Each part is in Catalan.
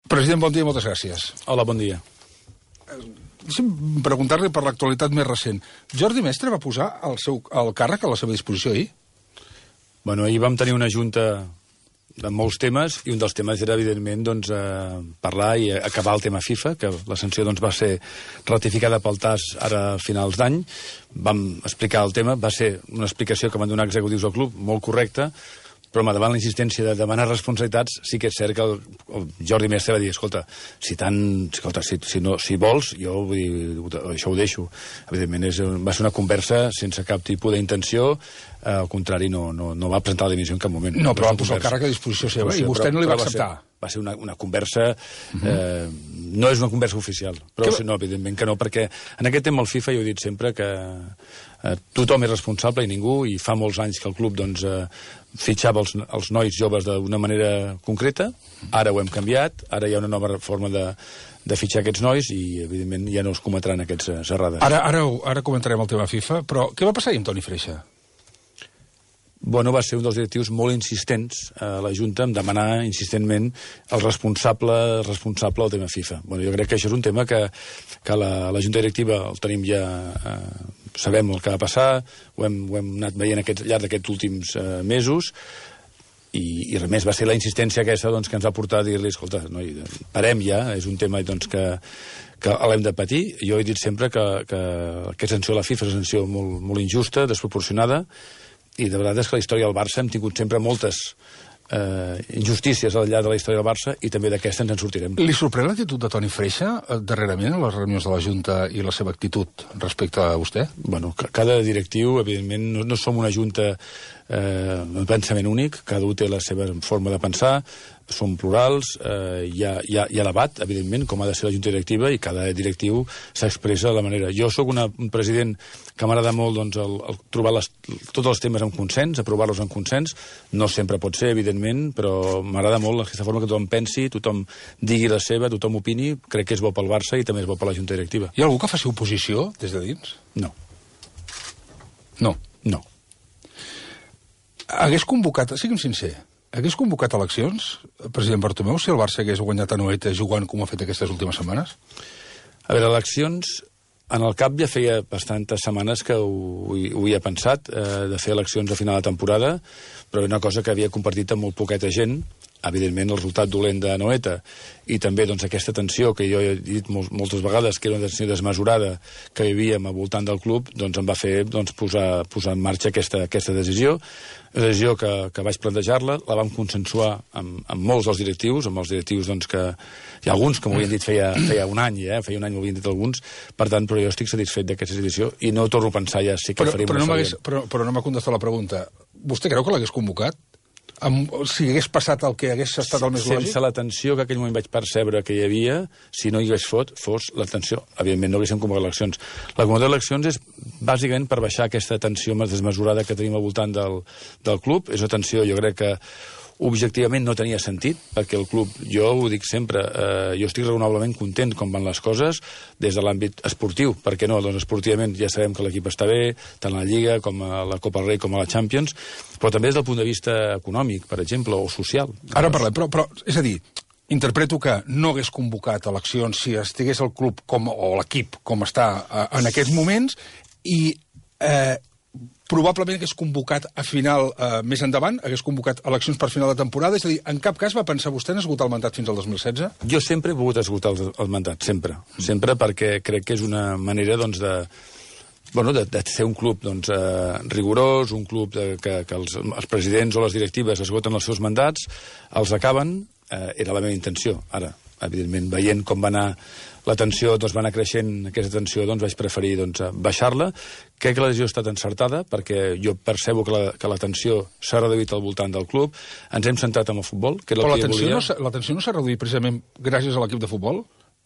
President, bon dia i moltes gràcies. Hola, bon dia. Deixa'm preguntar-li per l'actualitat més recent. Jordi Mestre va posar el càrrec a la seva disposició ahir? Bueno, ahir vam tenir una junta de molts temes, i un dels temes era, evidentment, doncs, parlar i acabar el tema FIFA, que la sanció doncs, va ser ratificada pel TAS ara a finals d'any. Vam explicar el tema, va ser una explicació que van donar executius al club, molt correcta, però davant la insistència de demanar responsabilitats, sí que és cert que el Jordi Mestre va dir, escolta, si vols, jo vull dir, això ho deixo. Evidentment, va ser una conversa sense cap tipus d'intenció, al contrari, no va presentar la dimissió en cap moment. No, però va posar el càrrec a disposició seva, i vostè no li va acceptar. Va ser una conversa... No és una conversa oficial, però no, evidentment que no, perquè en aquest tema el FIFA, jo he dit sempre que tothom és responsable i ningú, i fa molts anys que el club doncs, fitxava els nois joves d'una manera concreta. Ara ho hem canviat, ara hi ha una nova forma de fitxar aquests nois i, evidentment, ja no es cometran aquests errades. Ara comentarem el tema FIFA, però què va passar ahir amb Toni Freixa? Bueno, va ser un dels directius molt insistents a la Junta en demanar insistentment el responsable del tema FIFA. Bueno, jo crec que això és un tema que la Junta Directiva el tenim ja... sabem el que va passar, ho hem anat veient al llarg d'aquests últims mesos, i res més, va ser la insistència aquesta doncs, que ens va portar a dir-li, escolta, noi, parem ja, és un tema doncs, que l'hem de patir. Jo he dit sempre que aquesta sanció a la FIFA és una sanció molt injusta, desproporcionada, i de veritat és que la història del Barça hem tingut sempre moltes injustícies al llarg de la història del Barça, i també d'aquesta ens en sortirem. Li sorprèn l'actitud de Toni Freixa darrerament a les reunions de la Junta i la seva actitud respecte a vostè? Bueno, cada directiu, evidentment, no som una Junta un pensament únic, cada un té la seva forma de pensar, som plurals, hi ha debat, evidentment, com ha de ser la Junta Directiva, i cada directiu s'expressa de la manera. Jo sóc un president que m'agrada molt doncs, trobar tots els temes en consens, aprovar-los en consens. No sempre pot ser, evidentment, però m'agrada molt aquesta forma que tothom pensi, tothom digui la seva, tothom opini. Crec que és bo pel Barça i també és bo per la Junta Directiva. Hi ha algú que faci oposició des de dins? No. No? No. Hagués convocat, sigui'm sincer, hagués convocat eleccions, president Bartomeu, si el Barça hagués guanyat a Anoeta jugant com ho ha fet aquestes últimes setmanes? A veure, eleccions, en el cap ja feia bastantes setmanes que ho havia pensat, de fer eleccions a final de temporada, però una cosa que havia compartit amb molt poqueta gent, evidentment el resultat dolent de Anoeta, i també doncs, aquesta tensió que jo he dit moltes vegades, que era una tensió desmesurada que vivíem al voltant del club, doncs em va fer posar en marxa aquesta decisió. Una decisió que vaig plantejar-la, la vam consensuar amb molts dels directius, amb els directius doncs, que hi ha alguns que m'ho havien dit feia un any, feia un any m'ho havien dit alguns, per tant, però jo estic satisfet d'aquesta decisió i no torno a pensar ja sí que faríem una següent. Però no m'ha contestat la pregunta. Vostè creu que l'hagués convocat? Si hagués passat el que hagués estat el més lògic? Sense la tensió que aquell moment vaig percebre que hi havia, si no hi hagués fos la tensió. Evidentment no haguéssim convocat eleccions. La convocatòria d'eleccions és bàsicament per baixar aquesta tensió més desmesurada que tenim al voltant del club. És una tensió, jo crec que objectivament no tenia sentit, perquè el club, jo ho dic sempre, jo estic raonablement content com van les coses des de l'àmbit esportiu. Per què no? Doncs esportivament ja sabem que l'equip està bé, tant a la Lliga com a la Copa del Rei com a la Champions, però també des del punt de vista econòmic, per exemple, o social. Ara parlem, però és a dir, interpreto que no hagués convocat eleccions si estigués el club o l'equip com està en aquests moments, i probablement hagués convocat a final, més endavant, hagués convocat eleccions per final de temporada, és a dir, en cap cas va pensar vostè en esgotar el mandat fins al 2016? Jo sempre he volgut esgotar el mandat, sempre, perquè crec que és una manera, doncs, de ser un club doncs, rigorós, un club que els presidents o les directives esgoten els seus mandats, els acaben, era la meva intenció. Ara, evidentment, veient com va anar la tensió, doncs va anar creixent aquesta tensió, doncs vaig preferir baixar-la. Crec que la decisió ha estat encertada, perquè jo percebo que la tensió s'ha reduït al voltant del club. Ens hem centrat en el futbol, que era el que jo volia. La tensió no s'ha reduït precisament gràcies a l'equip de futbol?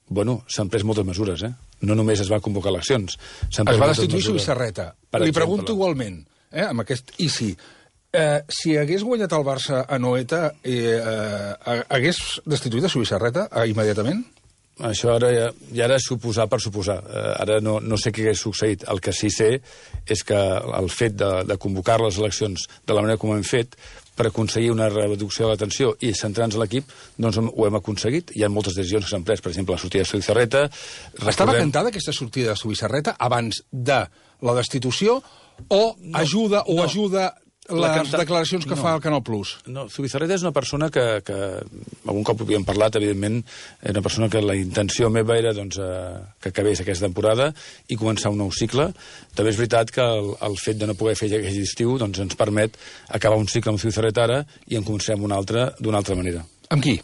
Bueno, s'han pres moltes mesures, No només es va convocar eleccions. Es va destituir Subissarreta. Li pregunto igualment, amb aquest i si. Si hagués guanyat el Barça a Anoeta, hagués destituït a Subissareta immediatament? Això ara és suposar per suposar. Ara no sé què hagués succeït. El que sí sé és que el fet de convocar les eleccions de la manera com ho hem fet per aconseguir una reducció de la tensió i centrar-nos en l'equip, doncs ho hem aconseguit. Hi ha moltes decisions que s'han pres, per exemple, la sortida de Zubizarreta. Estava cantada aquesta sortida de Zubizarreta abans de la destitució o ajuda les declaracions que fa el Canal Plus? No, Zubizarreta és una persona que algun cop havíem parlat, evidentment, és una persona que la intenció meva era doncs, que acabés aquesta temporada i començar un nou cicle. També és veritat que el fet de no poder fer aquest estiu doncs, ens permet acabar un cicle amb Zubizarreta ara i en comencem un altre d'una altra manera. Amb qui?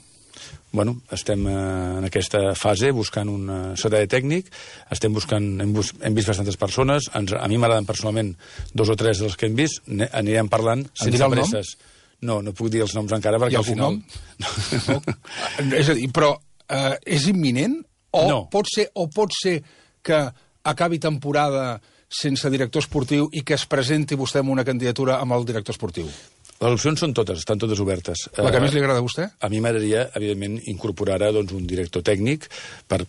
Bueno, estem en aquesta fase buscant un secretari tècnic, hem vist bastantes persones, a mi m'agraden personalment 2 o 3 dels que hem vist, anirem parlant sense presses. No puc dir els noms encara perquè al final... No. És a dir, però és imminent? O pot ser que acabi temporada sense director esportiu i que es presenti vostè amb una candidatura amb el director esportiu? Les opcions són totes, estan totes obertes. La que més li agrada a vostè? A mi m'agradaria, evidentment, incorporar ara doncs, un director tècnic per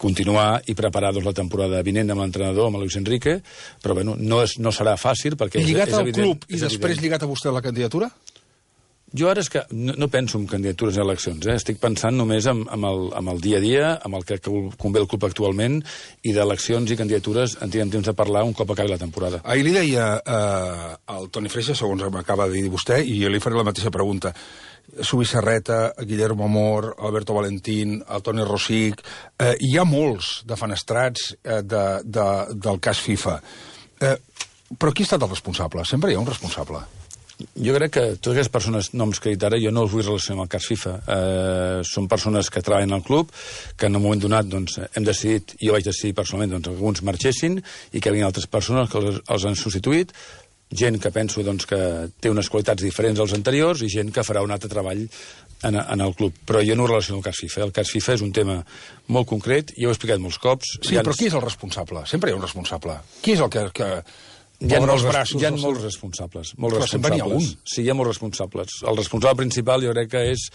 continuar i preparar doncs, la temporada vinent amb l'entrenador, amb Luis Enrique, però bueno, no serà fàcil perquè és evident. Lligat al club i després lligat a vostè a la candidatura? Jo ara és que no penso en candidatures a eleccions, estic pensant només en el dia a dia, amb el que convé el club actualment, i d'eleccions i candidatures en tindrem temps de parlar un cop acabi la temporada. Ahir li deia al Toni Freixa, segons m'acaba de dir vostè, i jo li faré la mateixa pregunta. Zubizarreta, Guillermo Amor, Alberto Valentín, el Toni Rosic... hi ha molts defenestrats del cas FIFA. Però qui ha estat el responsable? Sempre hi ha un responsable. Jo crec que totes aquestes persones, noms que he dit ara, jo no els vull relacionar amb el cas FIFA. Són persones que treballen al club, que en un moment donat doncs, hem decidit, jo vaig decidir personalment, doncs, que alguns marxessin i que vinguin altres persones que els han substituït, gent que penso doncs, que té unes qualitats diferents als anteriors i gent que farà un altre treball en el club. Però jo no ho relaciono amb el cas FIFA. El cas FIFA és un tema molt concret, i ho he explicat molts cops. Sí, però qui és el responsable? Sempre hi ha un responsable. Qui és el que Hi ha molts responsables. Però sempre n'hi ha un. Sí, hi ha molts responsables. El responsable principal jo crec que és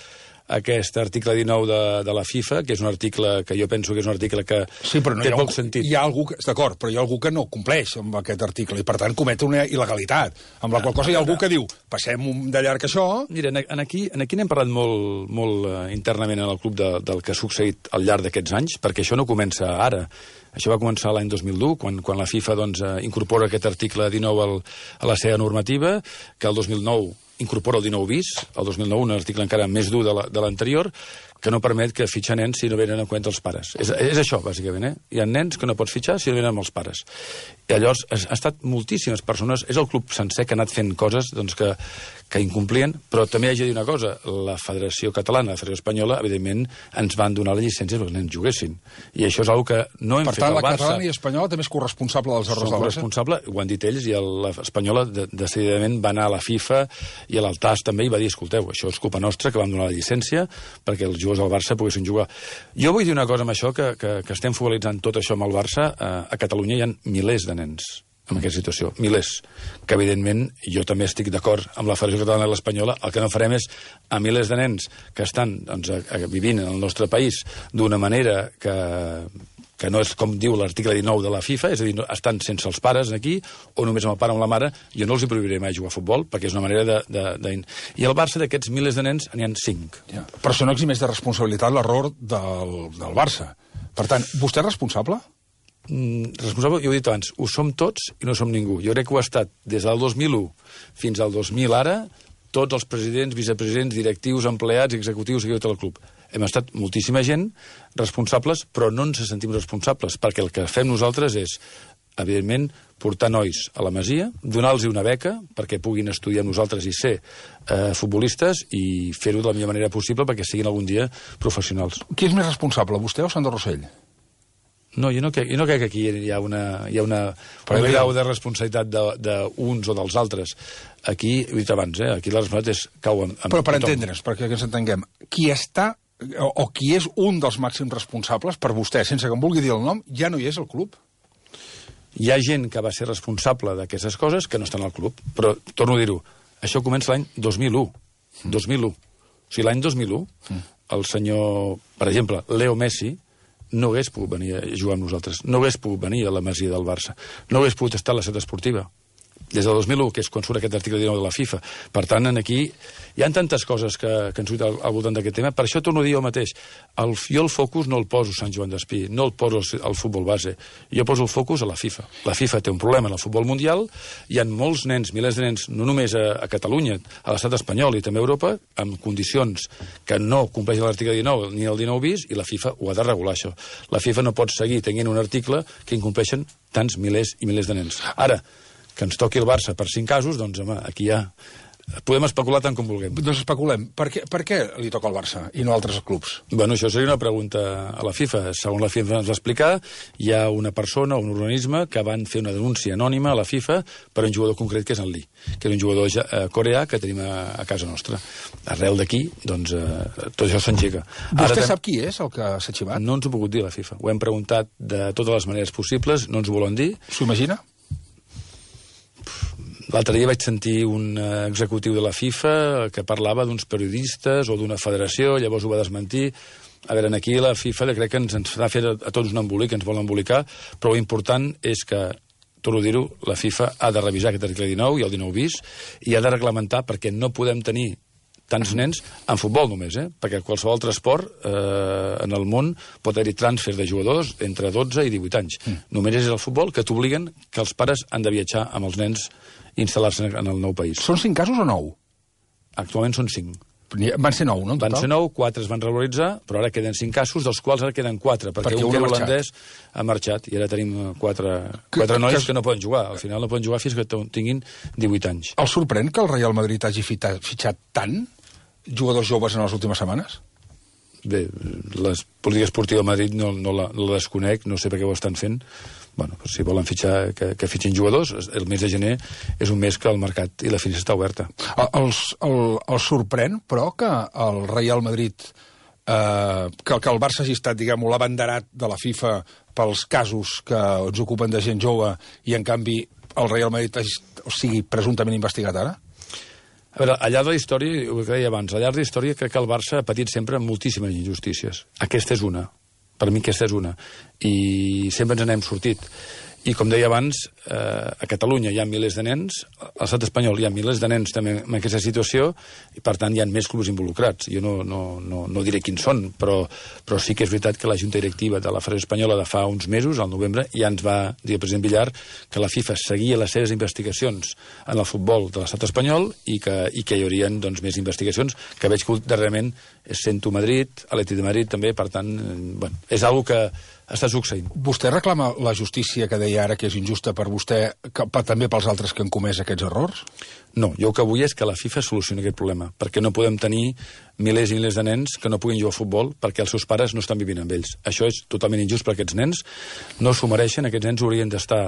aquest article 19 de la FIFA, que és un article que jo penso que és un article que té poc sentit. Hi ha algú d'acord, però hi ha algú que no compleix amb aquest article i, per tant, comet una il·legalitat. Amb la qual cosa hi ha algú que diu, passem de llarg això... Mira, aquí n'hem parlat molt internament en el club del que ha succeït al llarg d'aquests anys, perquè això no comença ara. Això va començar l'any 2001, quan la FIFA doncs, incorpora aquest article 19 a la seva normativa, que el 2009 incorpora el 19 bis, el 2009 un article encara més dur de l'anterior, que no permet que fitxar nens si no venen en compte els pares. És això, bàsicament. Hi ha nens que no pots fitxar si no venen amb els pares. I llavors ha estat moltíssimes persones, és el club sencer que ha anat fent coses doncs, que incomplien, però també haig de dir una cosa, la Federació Catalana, la Federació Espanyola, evidentment, ens van donar la llicència perquè els nens juguessin. I això és una que no hem fet al Barça. Per tant, la catalana i espanyola també és corresponsable dels errors del Barça? Corresponsable, ho han dit ells, i l'espanyola decididament va anar a la FIFA i a l'Altas també i va dir, escolteu, això és culpa nostra, que vam donar la llicència perquè els jugadors del Barça poguessin jugar. Jo vull dir una cosa amb això, que estem focalitzant tot això amb el Barça. A Catalunya hi ha milers de nens en aquesta situació, milers, que evidentment jo també estic d'acord amb la Federació Catalana i l'Espanyola. El que no farem és a milers de nens que estan doncs, vivint en el nostre país d'una manera que no és com diu l'article 19 de la FIFA, és a dir, estan sense els pares aquí, o només amb el pare o amb la mare, jo no els hi prohibiré mai jugar a futbol, perquè és una manera I al Barça, d'aquests milers de nens, n'hi ha 5. Ja. Però això no eximeix de responsabilitat l'error del Barça. Per tant, vostè és responsable? Responsable, jo ho he dit abans, ho som tots i no som ningú. Jo crec que ho ha estat des del 2001 fins al 2000 ara, tots els presidents, vicepresidents, directius, empleats, executius i tot el club. Hem estat moltíssima gent responsables, però no ens sentim responsables, perquè el que fem nosaltres és, evidentment, portar nois a la Masia, donar-los una beca perquè puguin estudiar amb nosaltres i ser futbolistes i fer-ho de la millor manera possible perquè siguin algun dia professionals. Qui és més responsable, vostè o Sandro Rosell? No, jo no crec que aquí hi ha un grau de responsabilitat d'uns o dels altres. Aquí, ho he dit abans, aquí la responsabilitat cau amb Però per entendre's, perquè ens entenguem, qui està o qui és un dels màxims responsables per vostè, sense que em vulgui dir el nom, ja no hi és al club? Hi ha gent que va ser responsable d'aquestes coses que no estan al club, però torno a dir-ho, això comença l'any 2001. 2001. O sigui, l'any 2001, el senyor, per exemple, Leo Messi, no hagués pogut venir a jugar amb nosaltres, no hagués pogut venir a la Masia del Barça, no hagués pogut estar a la ciutat esportiva, des del 2001, que és quan surt aquest article 19 de la FIFA. Per tant, aquí hi ha tantes coses que han sortit al voltant d'aquest tema. Per això torno a dir jo mateix, jo el focus no el poso Sant Joan d'Espí, no el poso al futbol base, jo poso el focus a la FIFA. La FIFA té un problema en el futbol mundial, hi ha molts nens, milers de nens, no només a Catalunya, a l'estat espanyol i també a Europa, amb condicions que no compleixen l'article 19 ni el 19 bis, i la FIFA ho ha de regular, això. La FIFA no pot seguir tenint un article que incompleixen tants milers i milers de nens. Ara, que ens toqui el Barça per 5 casos, doncs, home, aquí ja podem especular tant com vulguem. Doncs especulem. Per què li toca al Barça i no a altres clubs? Bueno, això seria una pregunta a la FIFA. Segons la FIFA ens va explicar, hi ha una persona, un organisme, que van fer una denúncia anònima a la FIFA per un jugador concret, que és en Lee, que és un jugador coreà que tenim a casa nostra. Arrel d'aquí, doncs, tot això s'engega. Vostè sap qui és el que s'ha xivat? No ens ho ha pogut dir la FIFA. Ho hem preguntat de totes les maneres possibles, no ens ho volen dir. S'ho imagina? L'altre dia vaig sentir un executiu de la FIFA que parlava d'uns periodistes o d'una federació, llavors ho va desmentir. A veure, aquí la FIFA crec que ens ha fet a tots un embolic, ens vol embolicar, però l'important és que, torno a dir-ho, la FIFA ha de revisar aquest article 19 i el 19 bis i ha de reglamentar, perquè no podem tenir tants nens en futbol només, perquè qualsevol altre esport en el món pot haver-hi transfer de jugadors entre 12 i 18 anys. Només és el futbol que t'obliguen que els pares han de viatjar amb els nens i instal·lar-se en el nou país. Són 5 casos o 9? Actualment són 5. Van ser 9, no? Van ser 9, 4 es van regularitzar, però ara queden 5 casos, dels quals ara queden 4, perquè un que holandès ha marxat, i ara tenim 4 nois que no poden jugar. Al final no poden jugar fins que tinguin 18 anys. El sorprèn que el Real Madrid hagi fitxat tant jugadors joves en les últimes setmanes? Bé, les polítiques esportives de Madrid no la desconec, no sé per què ho estan fent. Bueno, si volen fitxar, que fitxin jugadors, el mes de gener és un mes que el mercat i la finestra està oberta. El sorprèn, però, que el Real Madrid, que el Barça hagi estat, diguem-ho, l'abanderat de la FIFA pels casos que ens ocupen de gent jove i, en canvi, el Real Madrid sigui presumptament investigat ara? A veure, al llarg de la història, ho que deia abans, al llarg de la història crec que el Barça ha patit sempre moltíssimes injustícies. Aquesta és una. Per mi aquesta és una. I sempre ens n'hem sortit. I com deia abans, a Catalunya hi ha milers de nens, a l'estat espanyol hi ha milers de nens també en aquesta situació, i per tant hi ha més clubs involucrats. Jo no diré quins són, però sí que és veritat que la Junta Directiva de la Federació Espanyola de fa uns mesos, al novembre, ja ens va dir el president Villar que la FIFA seguia les seves investigacions en el futbol de l'estat espanyol i que hi haurien doncs, més investigacions, que veig que darrerament sento Madrid, Atlètic de Madrid també, per tant, bueno, és una que està succeint. Vostè reclama la justícia que deia ara que és injusta per vostè, també pels altres que han comès aquests errors? No, jo el que vull és que la FIFA solucioni aquest problema, perquè no podem tenir milers i milers de nens que no puguin jugar a futbol perquè els seus pares no estan vivint amb ells. Això és totalment injust per aquests nens, no s'ho mereixen, aquests nens haurien d'estar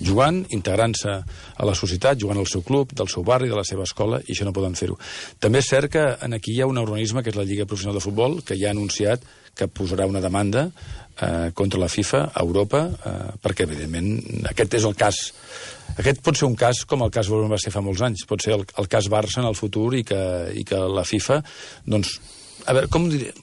jugant, integrant-se a la societat, jugant al seu club, del seu barri, de la seva escola, i això no poden fer-ho. També és cert que aquí hi ha un organisme, que és la Lliga Professional de Futbol, que ja ha anunciat que posarà una demanda contra la FIFA a Europa, perquè, evidentment, aquest és el cas. Aquest pot ser un cas com el cas va ser fa molts anys, pot ser el cas Barça en el futur i que la FIFA, doncs, a veure, com diré...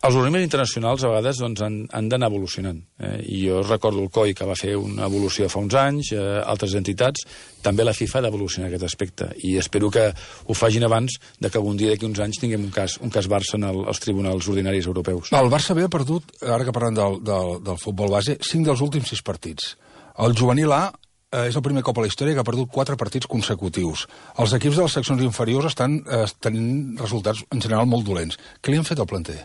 Els organismes internacionals a vegades doncs, han d'anar evolucionant. I jo recordo el COI, que va fer una evolució fa uns anys, altres entitats, també la FIFA ha d'evolucionar aquest aspecte. I espero que ho facin abans de que algun dia d'aquí uns anys tinguem un cas Barça als tribunals ordinaris europeus. El Barça havia perdut, ara que parlem del futbol base, 5 dels últims 6 partits. El juvenil A és el primer cop a la història que ha perdut 4 partits consecutius. Els equips de les seccions inferiors estan tenint resultats en general molt dolents. Què li han fet al planter?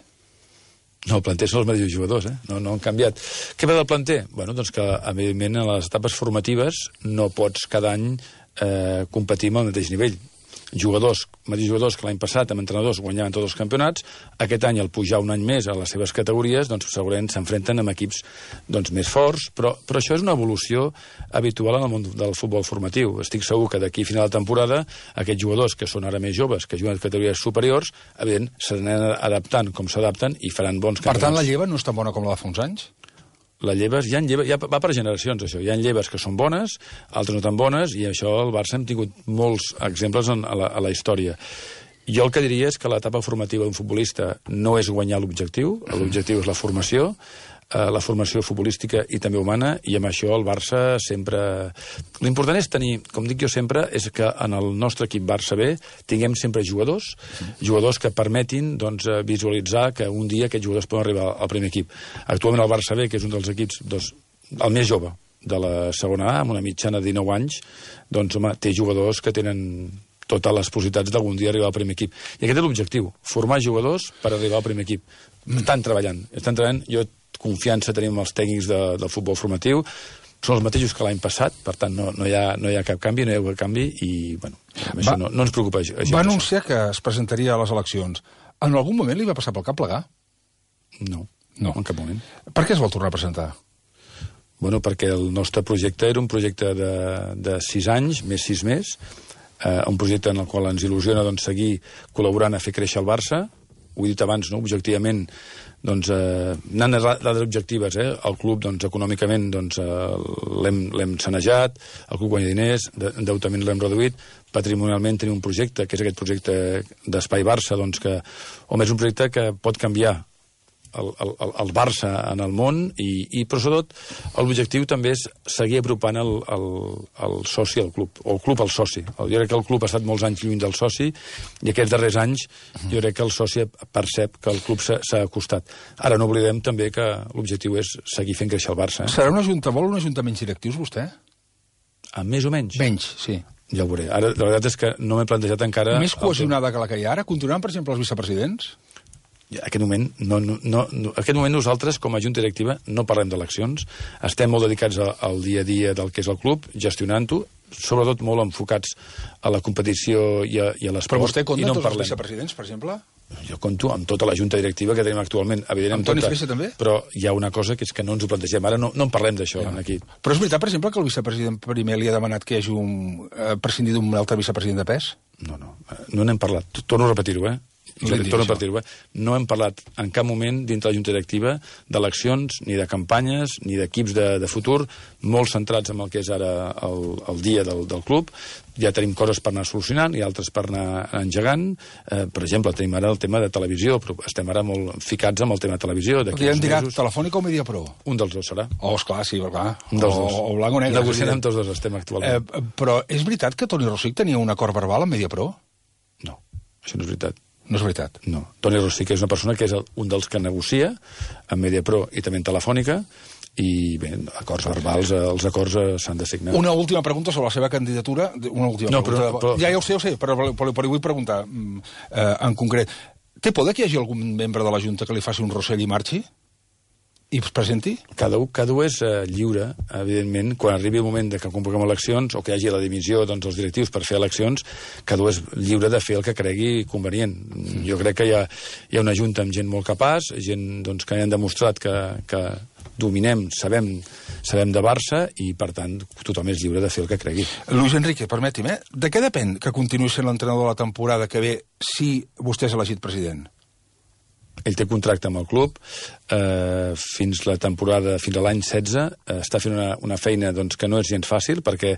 No, el planter són els mateixos jugadors, no han canviat. Què va del planter? Bueno, doncs que, evidentment, a les etapes formatives no pots cada any competir amb el mateix nivell. Mateixos jugadors que l'any passat amb entrenadors guanyaven tots els campionats, aquest any al pujar un any més a les seves categories, doncs segurament s'enfrenten amb equips doncs, més forts, però això és una evolució habitual en el món del futbol formatiu. Estic segur que d'aquí a final de temporada aquests jugadors que són ara més joves, que juguen a categories superiors, evident, s'anen adaptant com s'adapten i faran bons campionats. Per tant, la lleva no és tan bona com la de fa uns anys? Ja va per generacions, això. Hi ha lleves que són bones, altres no tan bones, i això el Barça hem tingut molts exemples a la història. Jo el que diria és que l'etapa formativa d'un futbolista no és guanyar l'objectiu és la formació. la formació futbolística i també humana, i amb això el Barça sempre... L'important és tenir, com dic jo sempre, és que en el nostre equip Barça B tinguem sempre jugadors que permetin visualitzar que un dia aquests jugadors poden arribar al primer equip. Actualment el Barça B, que és un dels equips el més jove de la segona A, amb una mitjana de 19 anys, doncs, home, té jugadors que tenen totes les possibilitats d'algun dia arribar al primer equip. I aquest és l'objectiu, formar jugadors per arribar al primer equip. Estan treballant. Jo confiança tenim els tècnics del futbol formatiu, són els mateixos que l'any passat, per tant no hi ha cap canvi, no hi ha cap canvi, i bueno, això no ens preocupa. Va anunciar que es presentaria a les eleccions. En algun moment li va passar pel cap plegar? No, en cap moment. Per què es vol tornar a presentar? Bueno, perquè el nostre projecte era un projecte de 6 anys, més 6 més, un projecte en el qual ens il·lusiona seguir col·laborant a fer créixer el Barça. Ho he dit abans, no? Objectivament, anant a dades objectives, el club econòmicament l'hem sanejat, el club guanya diners, endeutament l'hem reduït, patrimonialment tenim un projecte, que és aquest projecte d'Espai Barça, que home, és un projecte que pot canviar el Barça en el món, i però sobretot l'objectiu també és seguir apropant el soci al club, o el club al soci. Jo crec que el club ha estat molts anys lluny del soci, i aquests darrers anys jo crec que el soci percep que el club s'ha acostat. Ara no oblidem també que l'objectiu és seguir fent créixer el Barça. Serà vol una junta menys directius, vostè? Més o menys? Menys, sí. Ja ho veuré. Ara, la veritat és que no m'he plantejat encara... Més cohesionada que la que hi ha ara? Continuaran, per exemple, els vicepresidents? En aquest moment nosaltres, com a junta directiva, no parlem d'eleccions, estem molt dedicats al dia a dia del que és el club, gestionant-ho, sobretot molt enfocats a la competició i a l'esport. Però vostè compta tots els vicepresidents, per exemple? Jo compto amb tota la junta directiva que tenim actualment, evidentment. Amb Toni Freixa també? Però hi ha una cosa que és que no ens ho plantegem. Ara no en parlem d'això aquí. Però és veritat, per exemple, que el vicepresident primer li ha demanat que hi hagi prescindir d'un altre vicepresident de pes? No n'hem parlat. Torno a repetir-ho, no hem parlat en cap moment dintre la junta directiva d'eleccions, ni de campanyes, ni d'equips de futur, molt centrats en el que és ara el dia del club. Ja tenim coses per anar solucionant i altres per anar engegant. Per exemple, tenim ara el tema de televisió, però estem ara molt ficats amb el tema de televisió. Ja hem dirat Telefònica o Mediapro? Un dels dos serà. Esclar, sí, clar. Un dels dos. O blanc o negre. Negociant amb tots dos estem actualment. Però és veritat que Toni Rosic tenia un acord verbal amb Mediapro? No, això no és veritat. No és veritat? No. Toni Rosic és una persona que és un dels que negocia amb Mediapro i també en Telefònica, i bé, acords verbals, els acords s'han de signar. Una última pregunta sobre la seva candidatura. Una última pregunta. Ja ho sé, però li vull preguntar en concret. Té por que hi hagi algun membre de la Junta que li faci un Rossell i marxi? I es presenti? Cada un és lliure, evidentment, quan arribi el moment que convoquem eleccions o que hi hagi la divisió dels directius per fer eleccions, cada un és lliure de fer el que cregui convenient. Jo crec que hi ha una junta amb gent molt capaç, gent que han demostrat que dominem, sabem de Barça, i per tant tothom és lliure de fer el que cregui. Luis Enrique, permeti'm, de què depèn que continuï sent l'entrenador de la temporada que ve si vostè és elegit president? Ell té contracte amb el club fins la temporada, fins a l'any 16. Està fent una feina que no és gens fàcil, perquè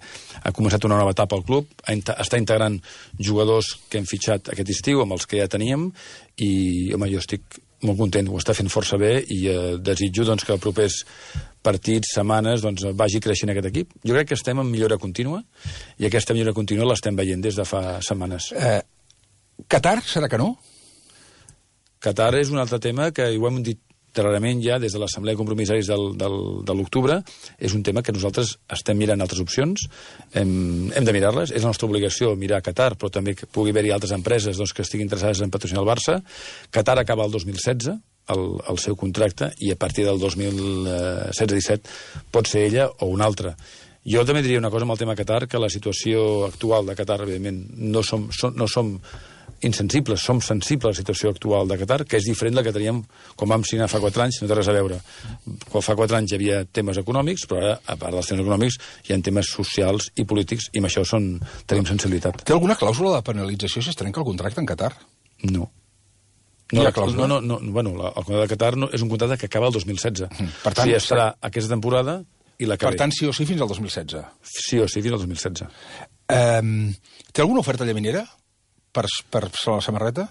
ha començat una nova etapa al club, està integrant jugadors que hem fitxat aquest estiu amb els que ja teníem, i home, jo estic molt content, ho està fent força bé, i desitjo que els propers partits, setmanes, vagi creixent aquest equip. Jo crec que estem en millora contínua, i aquesta millora contínua l'estem veient des de fa setmanes. Qatar, serà que no? Qatar és un altre tema que ho hem dit clarament ja des de l'Assemblea de Compromissaris de l'octubre. És un tema que nosaltres estem mirant altres opcions, hem de mirar-les, és la nostra obligació mirar Qatar, però també que pugui haver-hi altres empreses que estiguin interessades en patrocinar el Barça. Qatar acaba el 2016, el seu contracte, i a partir del 2016-17 pot ser ella o una altra. Jo també diria una cosa amb el tema Qatar, que la situació actual de Qatar, evidentment, no som insensibles, som sensibles a la situació actual de Qatar, que és diferent de la que teníem quan vam signar fa 4 anys, no té res a veure. Quan fa 4 anys hi havia temes econòmics, però ara, a part dels temes econòmics, hi ha temes socials i polítics, i amb això tenim sensibilitat. Té alguna clàusula de penalització si es trenca el contracte en Qatar? No. No, el contracte de Qatar és un contracte que acaba el 2016. Per tant, estarà aquesta temporada i la que ve. Per tant, sí o sí fins al 2016? Sí o sí fins al 2016. Té alguna oferta llaminera per la samarreta?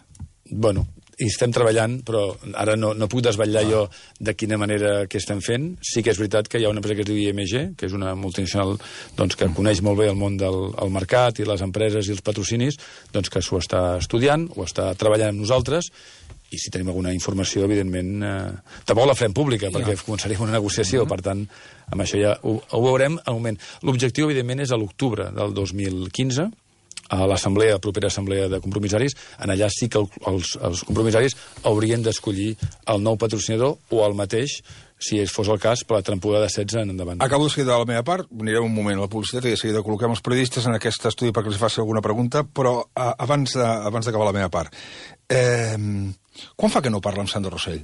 Bueno, hi estem treballant, però ara no puc desvetllar jo de quina manera que estem fent. Sí que és veritat que hi ha una empresa que es diu IMG, que és una multinacional doncs, que coneix molt bé el món del mercat i les empreses i els patrocinis, doncs que s'ho està estudiant, ho està treballant amb nosaltres, i si tenim alguna informació, evidentment, tampoc la farem pública, perquè començaríem una negociació, per tant, amb això ja ho veurem al moment. L'objectiu, evidentment, és a l'octubre del 2015, a l'assemblea, propera assemblea de compromissaris, en allà sí que els compromissaris haurien d'escollir el nou patrocinador o el mateix, si fos el cas, per la temporada 16 en endavant. Acabo de seguir de la meva part, anirem un moment a la publicitat i de seguida col·loquem els periodistes en aquest estudi perquè els faci alguna pregunta, però abans d'acabar la meva part, quan fa que no parla amb Sandro Rosell?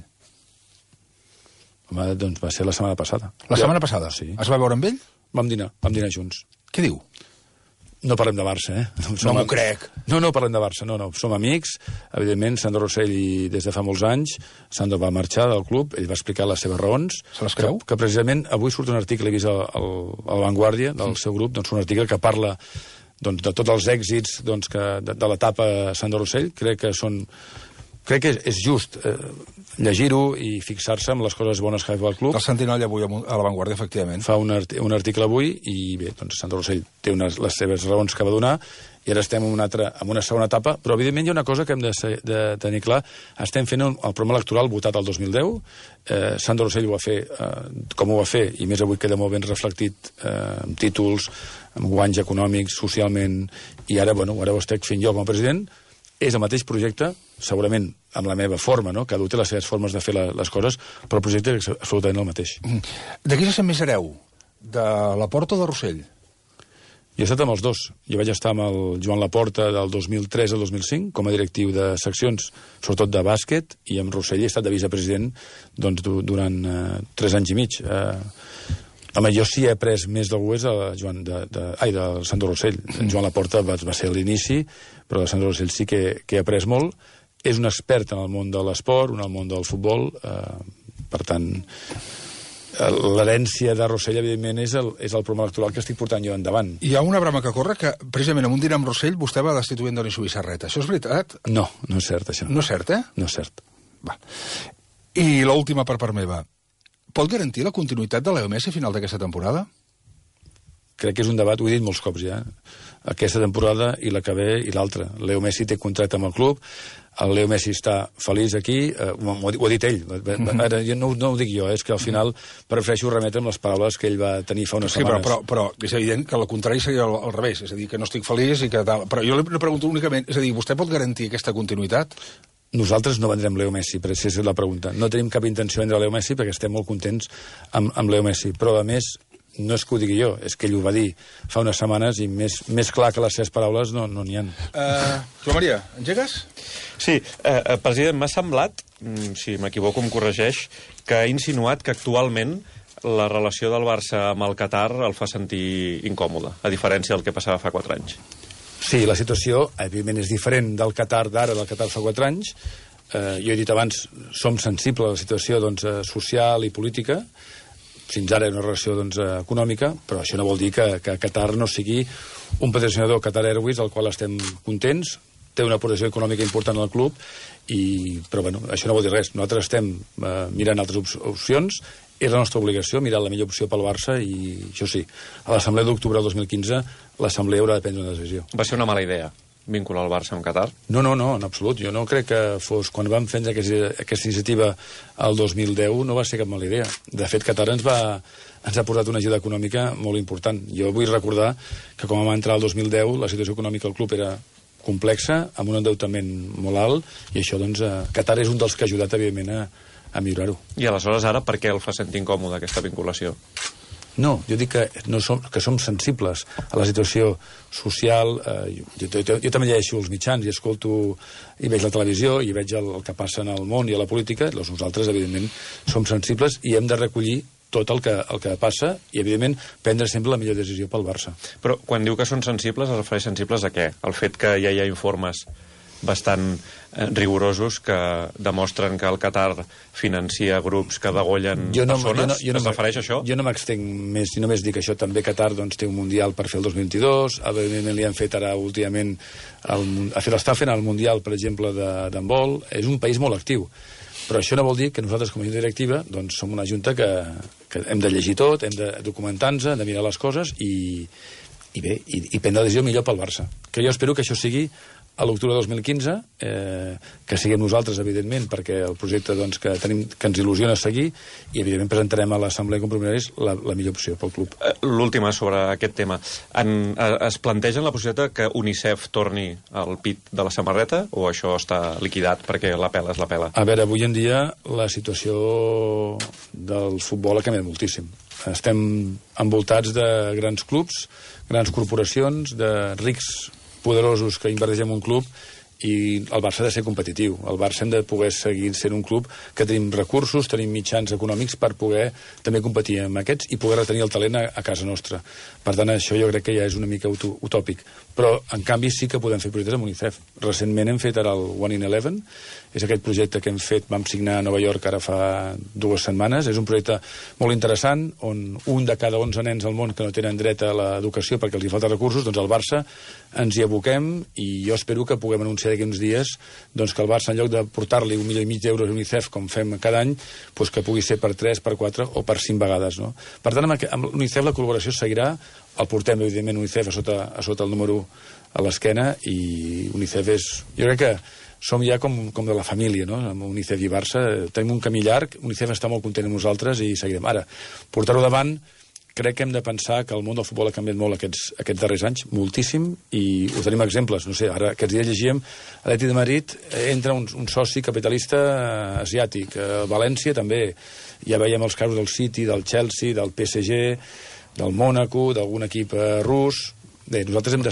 Home, doncs va ser la setmana passada. La setmana passada? Sí. Es va veure amb ell? Vam dinar junts. Què diu? No parlem de Barça, No m'ho crec. No parlem de Barça, no. Som amics. Evidentment, Sandro Rosell, des de fa molts anys, Sandro va marxar del club, ell va explicar les seves raons. Se les creu? Que precisament avui surt un article, he vist a La Vanguardia, del seu grup, doncs un article que parla doncs, de tots els èxits doncs, de l'etapa Sandro Rosell. Crec que és just llegir-ho i fixar-se en les coses bones que ha fet el club. El Sentinella avui a La Vanguardia, efectivament. Fa un article avui i bé, doncs Sandro Rosell té les seves raons que va donar i ara estem en una segona etapa, però evidentment hi ha una cosa que hem de tenir clar. Estem fent el programa electoral votat el 2010, Sandro Rosell ho va fer com ho va fer, i més avui queda molt ben reflectit amb títols, amb guanys econòmics, socialment, i ara ho estic fent jo com a president. És el mateix projecte, segurament amb la meva forma, no? Cada un té les seves formes de fer les coses, però el projecte és absolutament el mateix. De qui se sent més hereu? De Laporta o de Rosell? Jo he estat amb els dos. Jo vaig estar amb el Joan Laporta del 2003 al 2005 com a directiu de seccions, sobretot de bàsquet, i amb Rosell he estat de vicepresident doncs, durant 3 anys i mig. Home, jo sí he après més d'algú és del Sandro Rosell. Joan Laporta va ser a l'inici, però de Sandro Rosell sí que he après molt. És un expert en el món de l'esport, en el món del futbol, per tant, l'herència de Rosell, evidentment, és el programa electoral que estic portant jo endavant. Hi ha una brama que corre que, precisament, en un dinar amb Rosell, vostè va destituir en Doni Subissarreta. Això és veritat? No és cert, això. No és cert, No és cert. Va. I l'última per part meva. Pot garantir la continuïtat de Leo Messi a final d'aquesta temporada? Crec que és un debat, ho he dit molts cops ja, aquesta temporada i la que ve i l'altra. Leo Messi té contracte amb el club, el Leo Messi està feliç aquí, ho ha dit ell, ara, no ho dic jo, és que al final prefereixo remetre amb les paraules que ell va tenir fa unes setmanes. Però és evident que la contrari seria al revés, és a dir, que no estic feliç i que tal. Però jo li pregunto únicament, és a dir, vostè pot garantir aquesta continuïtat? Nosaltres no vendrem Leo Messi, per si és la pregunta. No tenim cap intenció de vendre Leo Messi perquè estem molt contents amb Leo Messi, però a més no és que ho digui jo, és que ell ho va dir fa unes setmanes i més clar que les seves paraules no n'hi ha. Joan Maria, engegues? Sí, president, m'ha semblat, si m'equivoco em corregeix, que ha insinuat que actualment la relació del Barça amb el Qatar el fa sentir incòmode, a diferència del que passava fa 4 anys. Sí, la situació, evidentment, és diferent del Qatar d'ara, del Qatar fa 4 anys. Jo he dit abans, som sensibles a la situació social i política. Fins ara una relació econòmica, però això no vol dir que Qatar no sigui un patrocinador, Qatar Airways, al qual estem contents, té una aportació econòmica important al club, però això no vol dir res. Nosaltres estem mirant altres opcions, és la nostra obligació mirar la millor opció pel Barça i això sí, a l'assemblea d'octubre del 2015 l'assemblea haurà de prendre una decisió. Va ser una mala idea vincular el Barça amb Qatar? No, en absolut. Jo no crec que fos... Quan vam fer aquesta iniciativa el 2010 no va ser cap mala idea. De fet, Qatar ens ha posat una ajuda econòmica molt important. Jo vull recordar que quan vam entrar el 2010 la situació econòmica del club era complexa, amb un endeutament molt alt, i això, Qatar és un dels que ha ajudat, evidentment, a millorar-ho. I aleshores ara per què el fa sentir incòmode aquesta vinculació? No, jo dic que som sensibles a la situació social. Jo també llegeixo els mitjans i escolto i veig la televisió i veig el que passa en el món i a la política. Doncs nosaltres, evidentment, som sensibles i hem de recollir tot el que passa i, evidentment, prendre sempre la millor decisió pel Barça. Però quan diu que són sensibles, es refereix sensibles a què? El fet que ja hi ha informes bastant rigorosos que demostren que el Qatar financia grups que degollen persones. Es refereix a això? Jo no m'extenc més, i només dic això. També Qatar té un Mundial per fer el 2022, evidentment li han fet ara últimament, està fent el Mundial, per exemple, d'handbol. És un país molt actiu. Però això no vol dir que nosaltres, com a junta directiva, som una junta que hem de llegir tot, hem de documentar-nos, hem de mirar les coses i prendre la decisió millor pel Barça. Que jo espero que això sigui a l'octubre de 2015, que siguem nosaltres, evidentment, perquè el projecte que ens il·lusiona seguir, i evidentment presentarem a l'Assemblea de Compromissaris la millor opció pel club. L'última sobre aquest tema. Es plantegen la possibilitat que UNICEF torni al pit de la samarreta, o això està liquidat perquè la pela és la pela? A veure, avui en dia la situació del futbol ha canviat moltíssim. Estem envoltats de grans clubs, grans corporacions, de rics poderosos que inverteixen en un club, i el Barça ha de ser competitiu. El Barça hem de poder seguir sent un club que tenim recursos, tenim mitjans econòmics per poder també competir amb aquests i poder retenir el talent a casa nostra. Per tant, això jo crec que ja és una mica utòpic. Però, en canvi, sí que podem fer projectes amb UNICEF. Recentment hem fet ara el One in 11, és aquest projecte que hem fet, vam signar a Nova York ara fa 2 setmanes. És un projecte molt interessant, on un de cada 11 nens al món que no tenen dret a l'educació perquè els hi falta recursos, doncs al Barça ens hi aboquem, i jo espero que puguem anunciar d'aquí uns dies que el Barça, en lloc de portar-li 1,5 milió d'euros a UNICEF, com fem cada any, que pugui ser per 3, per 4 o per 5 vegades. No? Per tant, amb UNICEF la col·laboració seguirà. El portem, evidentment, UNICEF a sota el número a l'esquena, i UNICEF és... Jo crec que som ja com de la família, no? Amb UNICEF i Barça. Tenim un camí llarg, UNICEF està molt content amb nosaltres i seguirem. Ara, portar-ho davant, crec que hem de pensar que el món del futbol ha canviat molt aquests darrers anys, moltíssim, i us tenim exemples. No sé, ara aquests dies llegíem a l'Atlètic de Madrid entra un soci capitalista asiàtic. A València també. Ja veiem els casos del City, del Chelsea, del PSG, del Mónaco, d'algun equip rus. Bé, nosaltres hem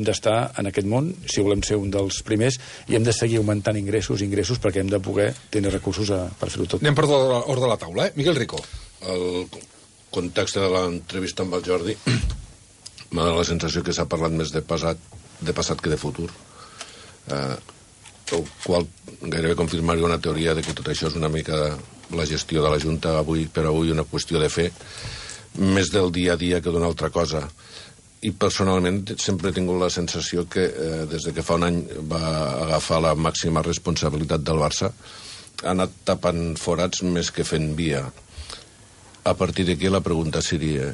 d'estar en aquest món, si volem ser un dels primers, i hem de seguir augmentant ingressos, perquè hem de poder tenir recursos per fer-ho tot. Anem per ordre de la taula, Miguel Rico. El context de l'entrevista amb el Jordi m'ha donat la sensació que s'ha parlat més de passat que de futur, el qual gairebé confirmaria una teoria de que tot això és una mica la gestió de la Junta avui per avui, una qüestió de fer més del dia a dia que d'una altra cosa. I personalment sempre he tingut la sensació que des de que fa un any va agafar la màxima responsabilitat del Barça ha anat tapant forats més que fent via. A partir d'aquí la pregunta seria: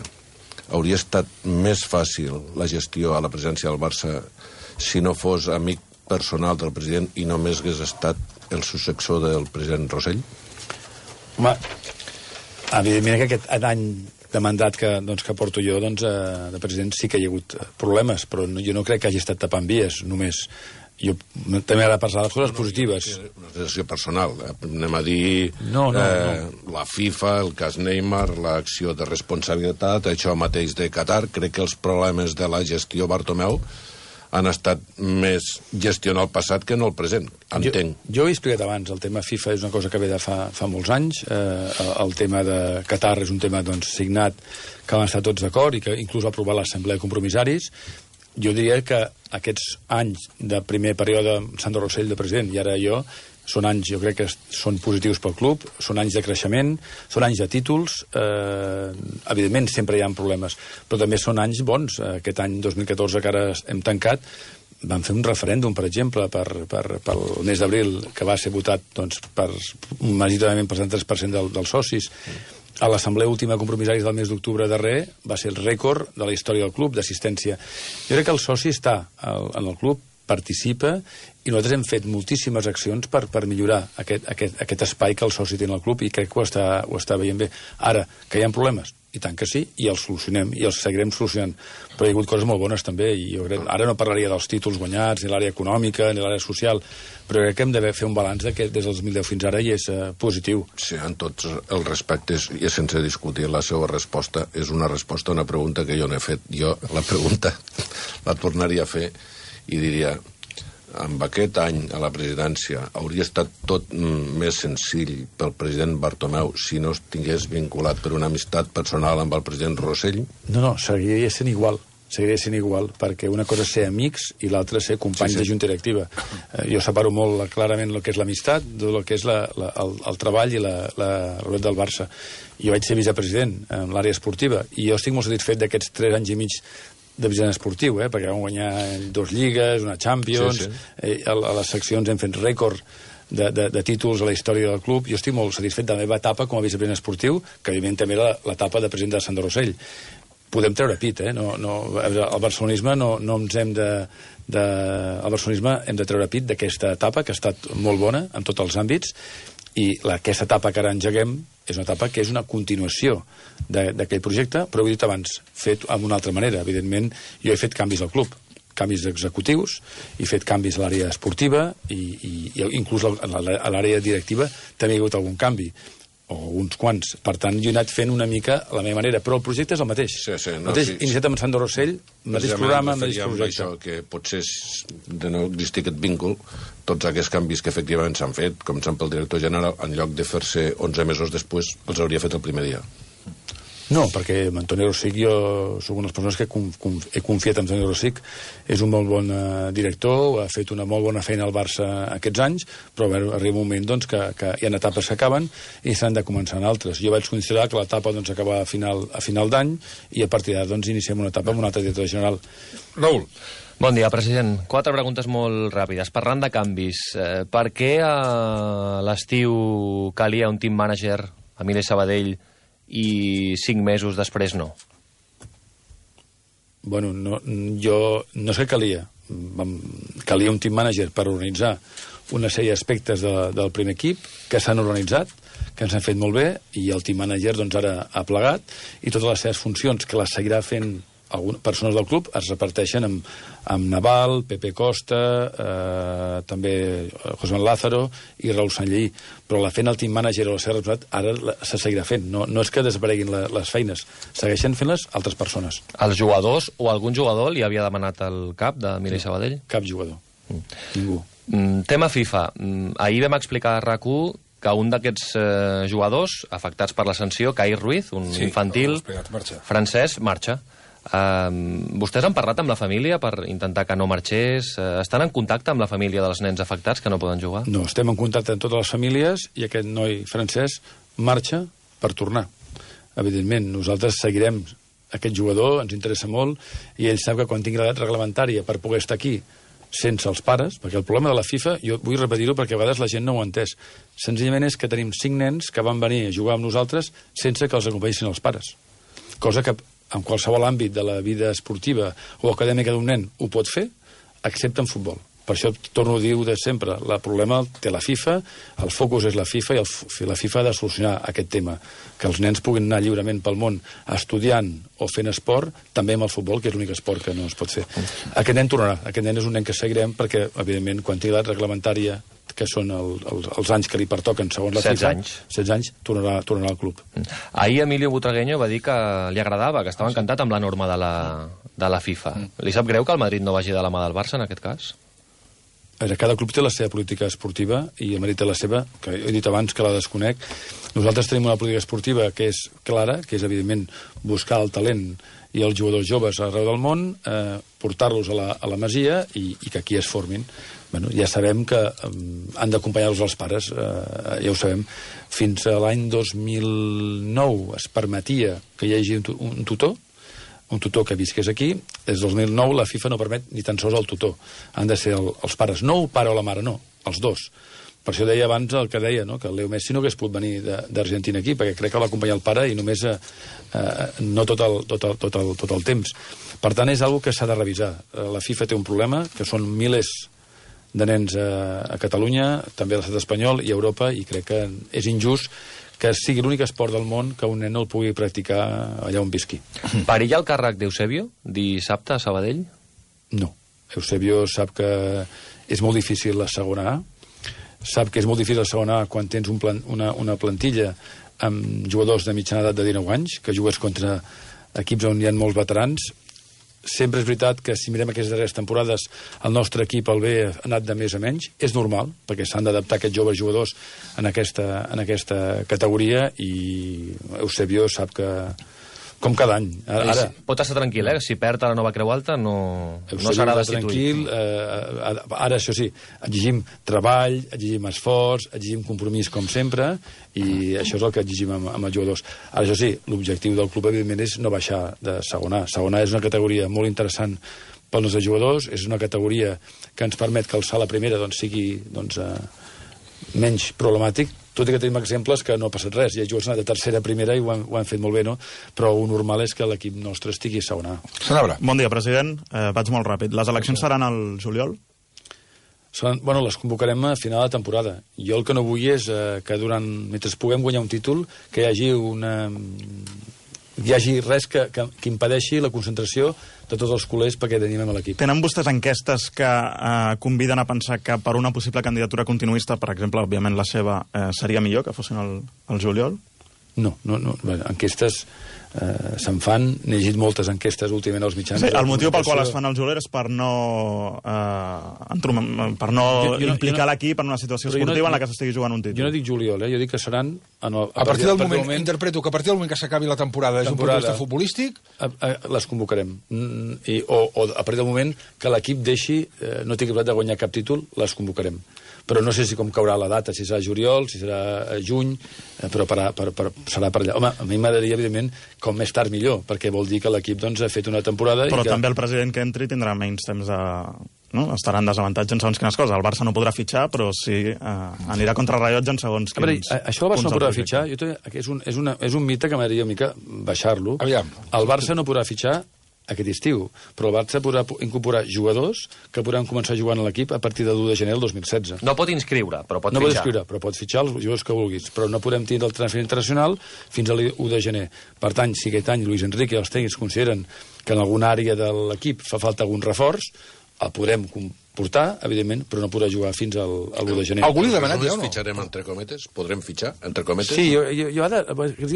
hauria estat més fàcil la gestió a la presidència del Barça si no fos amic personal del president i només hagués estat el successor del president Rosell? Home, evidentment que aquest any de mandat que porto jo de president sí que hi ha hagut problemes, però jo no crec que hagi estat tapant vies només. Jo també ara parlar de les coses positives. Una sensació personal. Anem a dir la FIFA, el cas Neymar, l'acció de responsabilitat, això mateix de Qatar. Crec que els problemes de la gestió Bartomeu han estat més gestionar el passat que no el present, entenc. Jo ho he explicat abans, el tema FIFA és una cosa que ve de fa molts anys, el tema de Qatar és un tema signat que van estar tots d'acord i que inclús va aprovar l'Assemblea de Compromissaris. Jo diria que aquests anys de primer període Sandro Rosell de president i ara jo, són anys, jo crec que són positius pel club, són anys de creixement, són anys de títols, evidentment sempre hi ha problemes, però també són anys bons. Aquest any 2014 que ara hem tancat, vam fer un referèndum, per exemple, pel mes d'abril, que va ser votat majoritàriament per 33% dels socis. A l'assemblea última de compromissaris del mes d'octubre darrer va ser el rècord de la història del club d'assistència. Jo crec que el soci està en el club, participa, i nosaltres hem fet moltíssimes accions per millorar aquest espai que el soci té en el club, i crec que ho està veient bé. Ara, que hi ha problemes, i tant que sí, i els solucionem, i els seguirem solucionant. Però hi ha hagut coses molt bones també, i jo crec, ara no parlaria dels títols guanyats, ni l'àrea econòmica, ni l'àrea social, però crec que hem de fer un balanç que des del 2010 fins ara i és positiu. Sí, en tots els respectes, i sense discutir la seva resposta, és una resposta a una pregunta que jo no he fet. Jo la pregunta la tornaria a fer i diria: amb aquest any a la presidència hauria estat tot més senzill pel president Bartomeu si no estigués vinculat per una amistat personal amb el president Rosell? No, seguiria sent igual. seguiré sent igual, perquè una cosa és ser amics i l'altra és ser companys de junta directiva. Jo separo molt clarament el que és l'amistat del que és el treball i la realitat del Barça. Jo vaig ser vicepresident en l'àrea esportiva i jo estic molt satisfet d'aquests 3 anys i mig de vicepresident esportiu, perquè vam guanyar 2 lligues, una Champions, a les seccions hem fet rècord de títols a la història del club. Jo estic molt satisfet de la meva etapa com a vicepresident esportiu, que evidentment també era l'etapa de president de Sandro Rossell. Podem treure pit, el barcelonisme no ens hem el barcelonisme hem de treure pit d'aquesta etapa que ha estat molt bona en tots els àmbits, i aquesta etapa que ara engeguem és una etapa que és una continuació d'aquell projecte, però ho he dit abans, fet d'una altra manera. Evidentment, jo he fet canvis al club, canvis executius, he fet canvis a l'àrea esportiva i inclús a l'àrea directiva també hi ha hagut algun canvi, o uns quants. Per tant, jo he anat fent una mica a la meva manera, però el projecte és el mateix. Iniciat amb Sandro Rossell, mateix programa, mateix projecte. Això, que potser de no existir aquest víncle, tots aquests canvis que efectivament s'han fet, començant pel director general, en lloc de fer-se 11 mesos després, els hauria fet el primer dia. No, perquè amb Antoni Rosic jo soc una de les persones que he confiat en Antoni Rosic. És un molt bon director, ha fet una molt bona feina al Barça aquests anys, però arriba un moment doncs, que hi ha etapes que acaben i s'han de començar en altres. Jo vaig considerar que l'etapa doncs, acaba a final d'any i a partir d'ara doncs, iniciem una etapa amb un altre director general. Raül. Bon dia, president. 4 preguntes molt ràpides. Parlant de canvis, per què a l'estiu calia un team manager a Emili Sabadell i 5 mesos després no? Bueno, jo no sé què calia. Calia un team manager per organitzar una sèrie d'aspectes del primer equip que s'han organitzat, que ens han fet molt bé, i el team manager doncs, ara ha plegat, i totes les seves funcions, que les seguirà fent algunes persones del club, es reparteixen amb Naval, Pepe Costa, també José Manuel Lázaro i Raúl Sanlleí. Però la fent el team manager o la seva responsabilitat ara se seguirà fent. No és que desapareguin les feines, segueixen fent-les altres persones. Els jugadors o algun jugador li havia demanat el cap d'Emili Sabadell? Cap jugador. Ningú. Tema FIFA. Ahir vam explicar a RAC1 que un d'aquests jugadors afectats per la sanció, Kai Ruiz, un infantil francès, marxa. Vostès han parlat amb la família per intentar que no marxés? Estan en contacte amb la família dels nens afectats que no poden jugar? No, estem en contacte amb totes les famílies i aquest noi francès marxa per tornar. Evidentment, nosaltres seguirem aquest jugador, ens interessa molt, i ell sap que quan tingui l'edat reglamentària per poder estar aquí sense els pares, perquè el problema de la FIFA, jo vull repetir-ho perquè a vegades la gent no ho ha entès, senzillament és que tenim 5 nens que van venir a jugar amb nosaltres sense que els acompanyessin els pares. Cosa que en qualsevol àmbit de la vida esportiva o acadèmica d'un nen ho pot fer, excepte en futbol. Per això torno a dir de sempre, el problema té la FIFA, el focus és la FIFA i la FIFA ha de solucionar aquest tema, que els nens puguin anar lliurement pel món estudiant o fent esport, també amb el futbol, que és l'únic esport que no es pot fer. Aquest nen tornarà, aquest nen és un nen que seguirem perquè, evidentment, quan tingui l'edat reglamentària, que són els anys que li pertoquen segons la FIFA, 16 anys, tornarà al club. Ahir Emilio Butragueño va dir que li agradava, que estava encantat amb la norma de la FIFA. Li sap greu que el Madrid no vagi de la mà del Barça, en aquest cas? Cada club té la seva política esportiva i el Madrid té la seva, que he dit abans que la desconec. Nosaltres tenim una política esportiva que és clara, que és, evidentment, buscar el talent i els jugadors joves arreu del món, portar-los a la Masia i que aquí es formin. Bueno, ja sabem que han d'acompanyar-los els pares, ja ho sabem. Fins a l'any 2009 es permetia que hi hagi un tutor que visqués aquí. Des del 2009 la FIFA no permet ni tan sols el tutor. Han de ser els pares, no el pare o la mare, no, els dos. Per això deia abans el que deia, no? Que el Leo Messi no hagués pogut venir d'Argentina aquí, perquè crec que va acompanyar el pare i només no tot el temps. Per tant, és una cosa que s'ha de revisar. La FIFA té un problema, que són milers de nens a Catalunya, també a l'estat espanyol i a Europa, i crec que és injust que sigui l'únic esport del món que un nen no el pugui practicar allà on visqui. Perilla el càrrec d'Eusebio dissabte a Sabadell? No. Eusebio sap que és molt difícil la segona A, sap que és molt difícil la segona A quan tens una plantilla amb jugadors de mitjana edat de 19 anys, que jugues contra equips on hi ha molts veterans. Sempre és veritat que si mirem aquestes darreres temporades el nostre equip al B ha anat de més a menys. És normal, perquè s'han d'adaptar aquests joves jugadors en aquesta categoria, i Eusebio sap que Com cada any. Ara, pot estar tranquil, si perd a la Nova Creu Alta no serà destituït. Ara, això sí, exigim treball, exigim esforç, exigim compromís com sempre, i això és el que exigim amb els jugadors. Ara, això sí, l'objectiu del club, evidentment, és no baixar de segona. Segona és una categoria molt interessant pels nostres jugadors, és una categoria que ens permet que alçar la primera sigui menys problemàtic, tot i que tenim exemples que no ha passat res. Hi ha jugadors de tercera, primera, i ho han fet molt bé, no? Però el normal és que l'equip nostre estigui a segona. Sanabra. Bon dia, president. Vaig molt ràpid. Les eleccions seran al juliol? Les convocarem a final de temporada. Jo el que no vull és que mentre puguem guanyar un títol, que hi hagi res que impedeixi la concentració de tots els culers perquè animem a l'equip. Tenen vostès enquestes que conviden a pensar que per una possible candidatura continuista, per exemple, òbviament la seva, seria millor que fossin al juliol? No. Enquestes se'n fan, n'he llegit moltes enquestes últimament als mitjans. Sí, el motiu pel qual es fan al juliol és per no implicar l'equip en una situació esportiva en la que s'estigui jugant un títol. Jo no dic juliol, jo dic que seran... A partir del moment, interpreto que a partir del moment que s'acabi la temporada des d'un punt de vista futbolístic... Les convocarem. O a partir del moment que l'equip no tingui possibilitat de guanyar cap títol, les convocarem. Però no sé si com caurà la data, si serà juliol, si serà juny, però serà per allà. Home, a mi m'agradaria, evidentment, com més tard millor, perquè vol dir que l'equip ha fet una temporada... Però també el president que entri tindrà menys temps de... estarà en desavantatge en segons quines coses. El Barça no podrà fitxar, però sí anirà contra el rellotge en segons quins... Això el Barça no podrà fitxar, és un mite que m'agradaria una mica baixar-lo. El Barça no podrà fitxar aquest estiu, però el Barça podrà incorporar jugadors que podran començar jugant a l'equip a partir de l'1 de gener del 2016. No pot inscriure, però pot fitxar. No pot inscriure, però pot fitxar els jugadors que vulguis, però no podem tindre el transfer internacional fins a l'1 de gener. Per tant, si aquest any Luis Enrique i els tècnics consideren que en alguna àrea de l'equip fa falta algun reforç, el podrem portar, evidentment, però no podrà jugar fins al 1 de gener. Algú li ha demanat ja o no? Fitxarem entre cometes? Podrem fitxar entre cometes? Sí, jo ara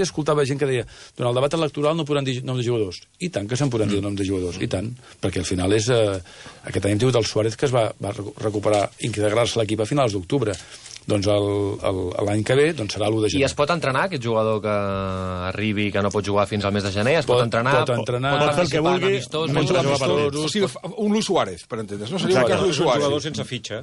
escoltava gent que deia durant el debat electoral no podran dir nom de jugadors. I tant que se'n podran dir nom de jugadors, i tant, perquè al final és... Aquest any hem tingut el Suárez que es va recuperar, integrar-se a l'equip a finals d'octubre. Doncs l'any que ve serà l'1 de gener. I es pot entrenar, aquest jugador que arribi i que no pot jugar fins al mes de gener? Es pot entrenar? Pot fer el que vulgui. O sigui, un Luis Suárez, per entendre's. No seria un cas Luis Suárez. Un jugador sense fitxa.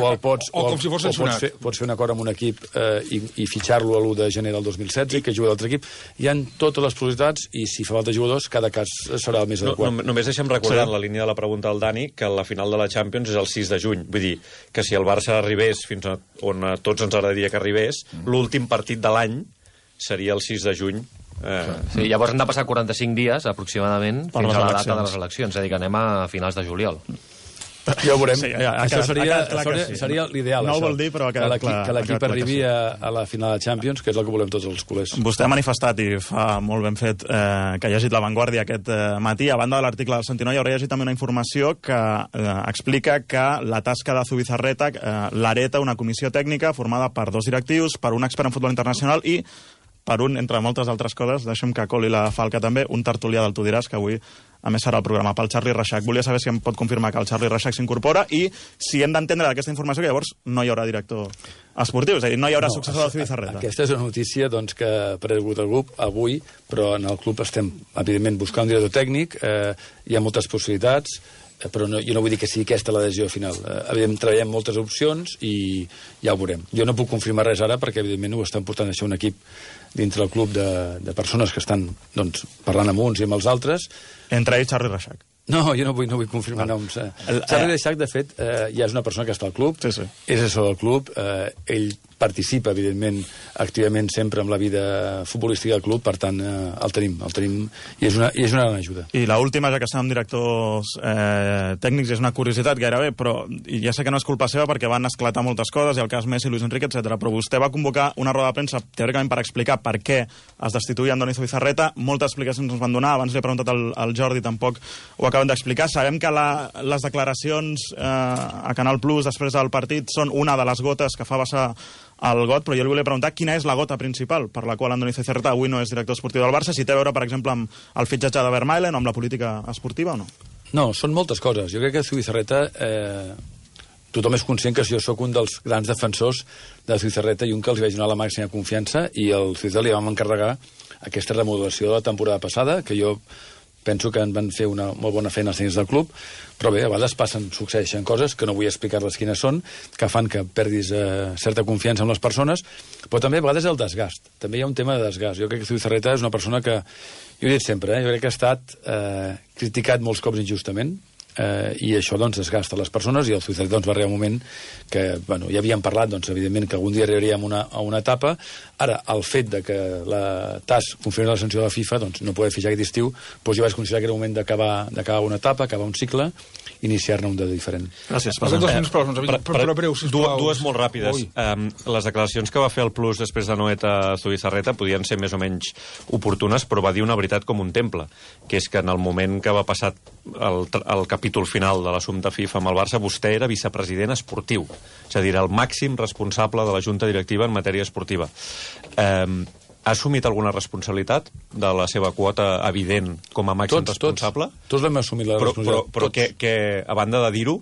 O com si fos sancionat. Pots fer un acord amb un equip i fitxar-lo a l'1 de gener del 2016 i que jugui d'altre equip. Hi ha totes les possibilitats i si fa falta jugadors, cada cas serà el més adequat. Només deixem recordar en la línia de la pregunta del Dani que la final de la Champions és el 6 de juny. Vull dir que si el Barça arribés fins on a tots ens agradaria que arribés, l'últim partit de l'any seria el 6 de juny. Sí, llavors han de passar 45 dies, aproximadament, fins a la data de les eleccions. És a dir, que anem a finals de juliol. Ja ho veurem. Això seria l'ideal. No ho vol dir, però ha quedat clar. Que l'equip arribi a la final de Champions, que és el que volem tots els culers. Vostè ha manifestat, i fa molt ben fet, que ha llegit La Vanguardia aquest matí. A banda de l'article del Sentinoi, haurà llegit també una informació que explica que la tasca de Zubizarreta l'hereta una comissió tècnica formada per 2 directius, per un expert en futbol internacional i per un, entre moltes altres coses, deixem que coli la falca també, un tertulià del Tu diràs, que avui a més serà el programa pel Charlie Reixac. Volia saber si em pot confirmar que el Charlie Reixac s'incorpora i si hem d'entendre d'aquesta informació que llavors no hi haurà director esportiu, és a dir, no hi haurà successor de Zubizarreta. Aquesta és una notícia que ha aparegut al grup avui, però en el club estem, evidentment, buscant un director tècnic, hi ha moltes possibilitats, però jo no vull dir que sigui aquesta la decisió final. Evidentment, treballem moltes opcions i ja ho veurem. Jo no puc confirmar res ara perquè, evidentment, ho estan portant a ser un equip dintre del club de persones que estan parlant amb uns i amb els altres. Entre ells, Charlie Reixac. No, jo no vull confirmar noms. Charlie Reixac, de fet, ja és una persona que està al club, és assessor del club, ell participa, evidentment, activament sempre amb la vida futbolística del club, per tant, el tenim i és una gran ajuda. I l'última, ja que estem amb directors tècnics, és una curiositat gairebé, però ja sé que no és culpa seva perquè van esclatar moltes coses, i el cas Messi, Luis Enrique, etc. Però vostè va convocar una roda de premsa, teòricament, per explicar per què es destituïa Andoni Zubizarreta. Moltes explicacions ens van donar, abans li he preguntat al Jordi, tampoc ho acaben d'explicar. Sabem que les declaracions a Canal Plus després del partit són una de les gotes que fa vessar el got, però jo li volia preguntar quina és la gota principal per la qual Andoni Zubizarreta avui no és director esportiu del Barça, si té a veure, per exemple, amb el fitxatge de Vermaelen o amb la política esportiva o no? No, són moltes coses. Jo crec que Zubizarreta tothom és conscient que jo sóc un dels grans defensors de Zubizarreta i un que els vaig donar la màxima confiança, i al Zubizarreta li vam encarregar aquesta remodelació de la temporada passada, que jo penso que en van fer una molt bona feina els tècnics del club, però bé, a vegades succeeixen coses que no vull explicar-les quines són, que fan que perdis certa confiança en les persones, però també a vegades el desgast. També hi ha un tema de desgast. Jo crec que Zubizarreta és una persona que, jo ho he dit sempre, jo crec que ha estat criticat molts cops injustament, i això doncs desgasta les persones, i el Zubizarreta doncs va arribar un moment que, bueno, ja havíem parlat doncs evidentment que algun dia arribaríem a una etapa. Ara, el fet de que la TAS confirmi la sanció de la FIFA, doncs no poder fer ja aquest estiu, doncs jo vaig considerar que era un moment d'acabar una etapa, acabar un cicle, iniciar-ne un de diferent. Gràcies. Però breu, sisplau. Dues molt ràpides. Les declaracions que va fer el Plus després de Noet a Zubizarreta podien ser més o menys oportunes, però va dir una veritat com un temple, que és que en el moment que va passar el capítol final de l'assumpte FIFA amb el Barça, vostè era vicepresident esportiu, és a dir, el màxim responsable de la Junta Directiva en matèria esportiva. Ha assumit alguna responsabilitat de la seva quota evident com a màxim responsable? Tots l'hem assumit, la responsabilitat. Però que, a banda de dir-ho...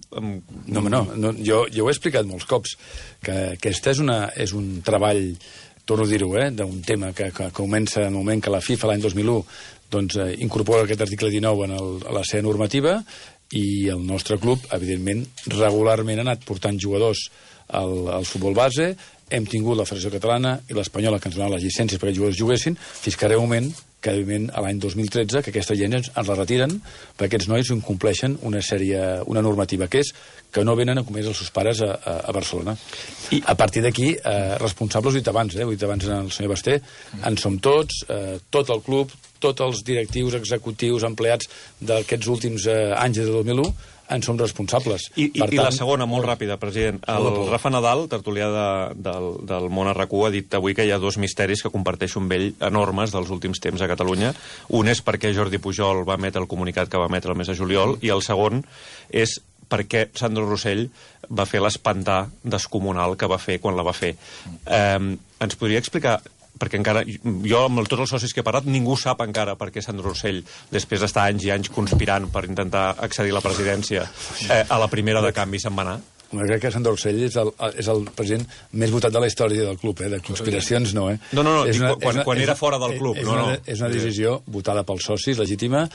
No, jo ho he explicat molts cops, que aquest és un treball, torno a dir-ho, d'un tema que comença en el moment que la FIFA, l'any 2001, doncs incorpora aquest article 19 a la seva normativa, i el nostre club, evidentment, regularment ha anat portant jugadors al futbol base. Hem tingut la Federació Catalana i l'Espanyola que ens donaven les llicències perquè els jugadors juguessin, fins que arriba un moment que a l'any 2013 que aquesta gent ens la retiren perquè aquests nois incompleixen una normativa, que és que no venen a comer els seus pares a Barcelona. I a partir d'aquí, responsables, ho he dit abans el senyor Basté, en som tots, tot el club, tots els directius, executius, empleats d'aquests últims anys de 2001, en som responsables. I la segona, molt ràpida, president. El Rafa Nadal, tertulià del Món a RAC1, ha dit avui que hi ha dos misteris que comparteixo amb ell enormes dels últims temps a Catalunya. Un és per què Jordi Pujol va emetre el comunicat que va emetre el mes de juliol, i el segon és per què Sandro Rossell va fer l'espantar descomunal que va fer quan la va fer. Ens podria explicar, perquè encara, jo amb tots els socis que he parlat, ningú sap encara per què Sandro Rossell, després d'estar anys i anys conspirant per intentar accedir a la presidència, a la primera de canvi se'n va anar? Jo crec que Sandro Rossell és el president més votat de la història del club, de conspiracions no, No, quan era fora del club. És una decisió votada pels socis, legítima,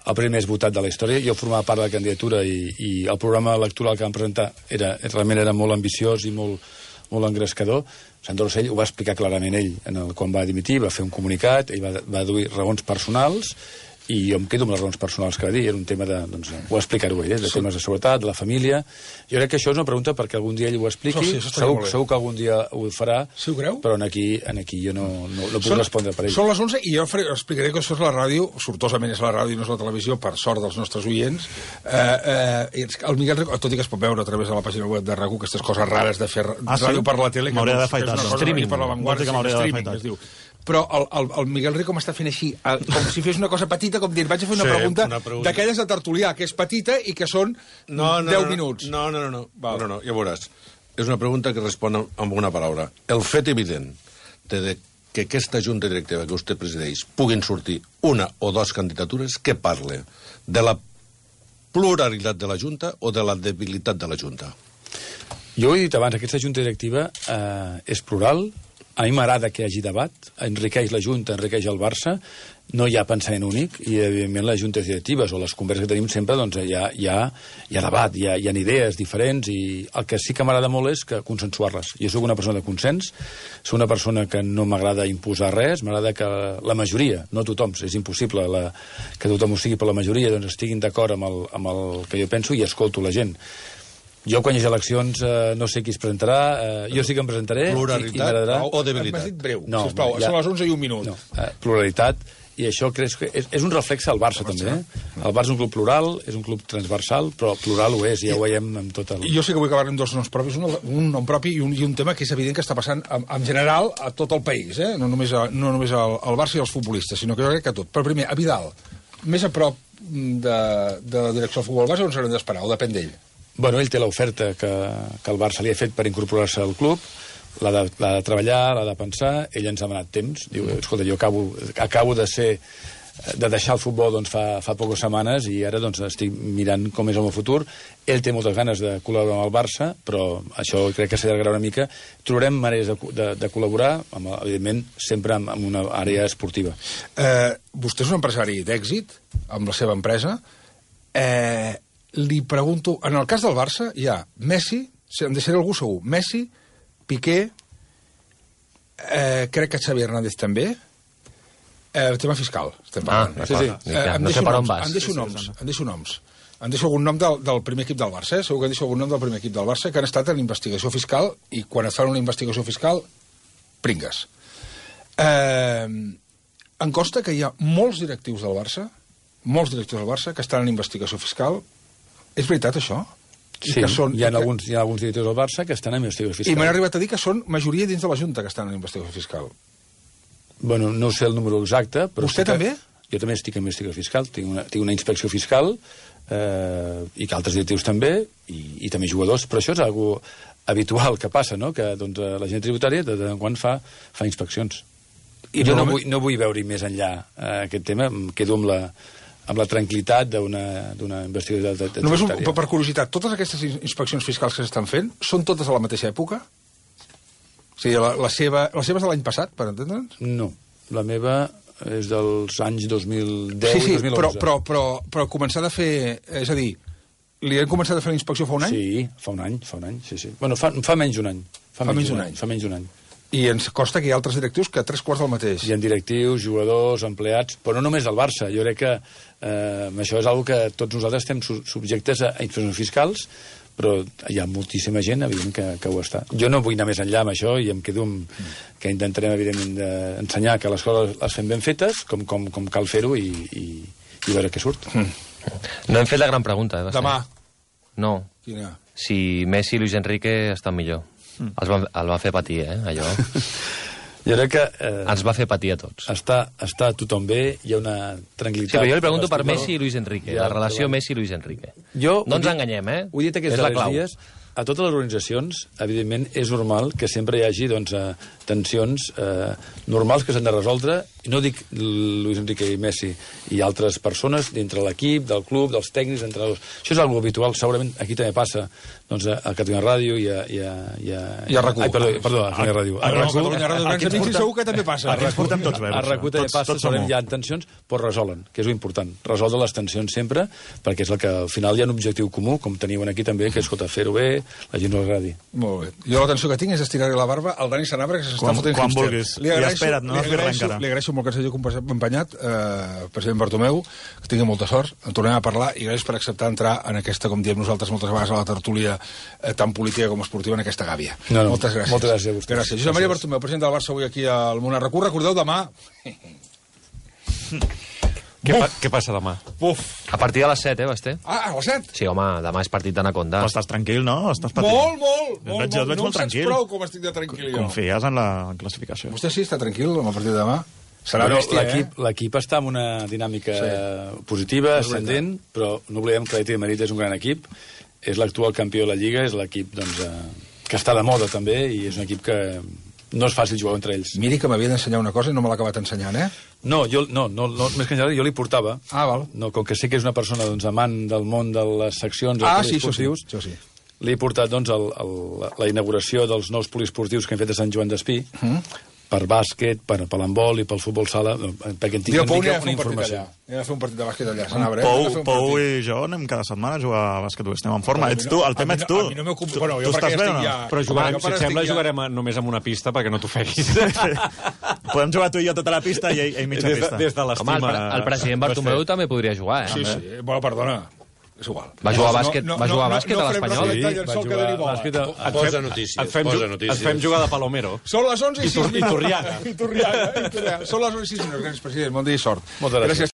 el primer més votat de la història. Jo formava part de la candidatura i el programa electoral que vam presentar realment era molt ambiciós i molt engrescador. Sandro Rossell ho va explicar clarament ell quan va dimitir, va fer un comunicat, ell va aduir raons personals, i jo em quedo amb les raons personals que va dir. Era un tema ho va explicar-ho ell, de temes de seguretat, de la família. Jo crec que això és una pregunta perquè algun dia ell ho expliqui. Segur que algun dia ho farà, però aquí jo no puc respondre per ell. Són les 11 i jo explicaré que això és la ràdio, sortosament és la ràdio i no és la televisió, per sort dels nostres oients. El Miguel Rico, tot i que es pot veure a través de la pàgina web de RAC1, aquestes coses rares de fer ràdio per la tele, m'hauré d'afaitar. Streaming per l'avantguarda, es diu. Però el Miguel Rico m'està fent així, com si fes una cosa petita, com dir, vaig a fer una pregunta d'aquelles de tertulià, que és petita i que són 10 minuts. No, ja veuràs. És una pregunta que respon amb una paraula. El fet evident de que aquesta junta directiva que vostè presideix puguin sortir una o dues candidatures, que parle de la pluralitat de la junta o de la debilitat de la junta? Jo ho he dit abans, aquesta junta directiva és plural. A mi m'agrada que hi hagi debat, enriqueix la Junta, enriqueix el Barça, no hi ha pensament únic, i evidentment les juntes directives o les converses que tenim sempre, doncs hi ha debat, hi ha idees diferents, i el que sí que m'agrada molt és consensuar-les. Jo sóc una persona de consens, sóc una persona que no m'agrada imposar res, m'agrada que la majoria, no tothom, és impossible que tothom ho sigui, però la majoria doncs, estiguin d'acord amb el que jo penso i escolto la gent. Jo, quan hi hagi eleccions, no sé qui es presentarà. Jo sí que em presentaré. Pluralitat o debilitat? M'has dit breu, sisplau. Són les 11 i un minut. Pluralitat, i això crec que és un reflex al Barça, també. El Barça és un club plural, és un club transversal, però plural ho és, ja ho veiem amb tot el... Jo sí que vull acabar amb dos noms propis, un nom propi i un tema que és evident que està passant en general a tot el país, no només al Barça i als futbolistes, sinó que jo crec que a tot. Però primer, a Vidal, més a prop de la direcció del futbol base, on s'haurem d'esperar, o depèn d'ell? Bueno, ell té l'oferta que el Barça li ha fet per incorporar-se al club, l'ha de treballar, l'ha de pensar, ell ens ha demanat temps, diu, escolta, jo acabo de ser de deixar el futbol doncs, fa poques setmanes i ara doncs, estic mirant com és el meu futur. Ell té moltes ganes de col·laborar amb el Barça, però això crec que s'allargarà una mica. Trobarem maneres de col·laborar, evidentment, sempre en una àrea esportiva. Vostè és un empresari d'èxit, amb la seva empresa. Li pregunto, en el cas del Barça hi ha Messi, em deixaré algú segur, Messi, Piqué, crec que Xavi Hernández també, el tema fiscal. Sí. No sé per on vas. Em deixo noms. Em deixo algun nom del primer equip del Barça, segur que em deixo algun nom del primer equip del Barça que han estat en investigació fiscal i quan es fan una investigació fiscal, pringues. Em consta que hi ha molts directius del Barça que estan en investigació fiscal. És veritat, això? Sí, hi ha alguns directius del Barça que estan en investigació fiscal. I m'han arribat a dir que són majoria dins de la Junta que estan en investigació fiscal. Bueno, no sé el número exacte, però... Vostè també? Jo també estic en investigació fiscal, tinc una inspecció fiscal i que altres directius també, i també jugadors, però això és algo habitual que passa, no? Que doncs, la gent tributària de tant en quan fa inspeccions. I jo no vull veure-hi més enllà aquest tema, em quedo amb la tranquil·litat d'una investigació tributària. Només per curiositat, totes aquestes inspeccions fiscals que s'estan fent són totes a la mateixa època? O sigui, la seva és de l'any passat, per entendre'ns? No, la meva és dels anys 2010 i 2011. Però començar a fer... És a dir, li han començat a fer la inspecció fa un any? Sí, fa un any, sí. Bueno, fa menys d'un any. Fa menys d'un any. I ens consta que hi ha altres directius que 3/4 del mateix. Hi ha directius, jugadors, empleats, però no només del Barça. Jo crec que això és una que tots nosaltres estem subjectes a inspeccions fiscals, però hi ha moltíssima gent, evidentment, que ho està. Jo no vull anar més enllà amb això i em quedo que intentarem, evidentment, ensenyar que les coses les fem ben fetes, com cal fer-ho i veure què surt. No hem fet la gran pregunta. Demà. No. Quina? Si Messi i Luis Enrique estan millor. El va fer patir, allò. Jo crec que... Ens va fer patir a tots. Està tothom bé, hi ha una tranquil·litat... Sí, però jo li pregunto per Messi i Luis Enrique, la relació Messi i Luis Enrique. No ens enganyem, Ho he dit aquests darrers dies, a totes les organitzacions, evidentment, és normal que sempre hi hagi tensions normals que s'han de resoldre, i no dic Luis Enrique i Messi i altres persones dintre l'equip, del club, dels tècnics, entrenadors. Això és algo habitual, segurament aquí també passa a Catalunya Ràdio i a RAC1. Ai, perdó, a Catalunya Ràdio. A Catalunya Ràdio, grans amics, segur que també passa. Aquí ens portem tots bé. A RAC1 també passa, segurament hi ha tensions, però resolen, que és important. Resoldre les tensions sempre, perquè és el que al final hi ha un objectiu comú, com teniu aquí també, que és, fer-ho bé, la gent no agradi. Molt bé. Jo l'atenció que tinc és estirar-li la barba al Dani Sanabra, que s'està fotent quan vulguis. I espera't, no has fet res encara. Li agraeixo molt que ens hagi acompanyat, president Bartomeu, que tingui molta sort, en tornem a parlar, i gràcies per acceptar entrar en aquesta, com diem nosaltres moltes vegades, a la tertúlia tan política com esportiva, en aquesta gàbia. Moltes gràcies. Moltes gràcies a vostè. Gràcies. Josep Maria Bartomeu, president del Barça, avui aquí al Món RAC1. Recordeu, demà... Què passa demà? A partir de les 7, Basté? Ah, a les 7? Sí, home, demà és partit d'Anaconda. Però estàs tranquil, no? Estàs patint. Molt. Jo et veig molt tranquil. No em saps prou com estic de tranquil, jo. Confies en la classificació. Vostè sí està tranquil amb el partit de demà? Serà l'equip està en una dinàmica positiva, ascendent, però no oblidem que l'Atlètic de Madrid és un gran equip, és l'actual campió de la Lliga, és l'equip que està de moda també, i és un equip que no és fàcil jugar entre ells. Miri que m'havia d'ensenyar una cosa i no me l'ha acabat ensenyant, No, més que ensenyar, jo li portava. Ah, val. No, com que sé que és una persona amant del món de les seccions... Sí, això sí. Li he portat la inauguració dels nous poliesportius que hem fet a Sant Joan d'Espí, per bàsquet, per l'handbol i pel futbol sala, perquè en tinc una informació. Anem a fer un partit de bàsquet allà. Pou i jo anem cada setmana a jugar a bàsquet, estem en forma. Ets tu, el tema ets tu. A mi no m'ocupo... Tu estàs bé o no? Però si et sembla jugarem només amb una pista perquè no t'ofeguis. Podem jugar tu i jo tota la pista i ell mitja pista. Des de l'estima... Home, el president Bartomeu també podria jugar, Sí. Bueno, perdona. És igual. Va jugar a bàsquet a l'Espanyol? Sí, va jugar a bàsquet. Posa notícies. Et fem jugar de Palomero. Són les 11 i 6 minuts. I Turriaga. Són les 11 i 6 minuts. Gràcies, president. Bon dia i sort. Moltes gràcies.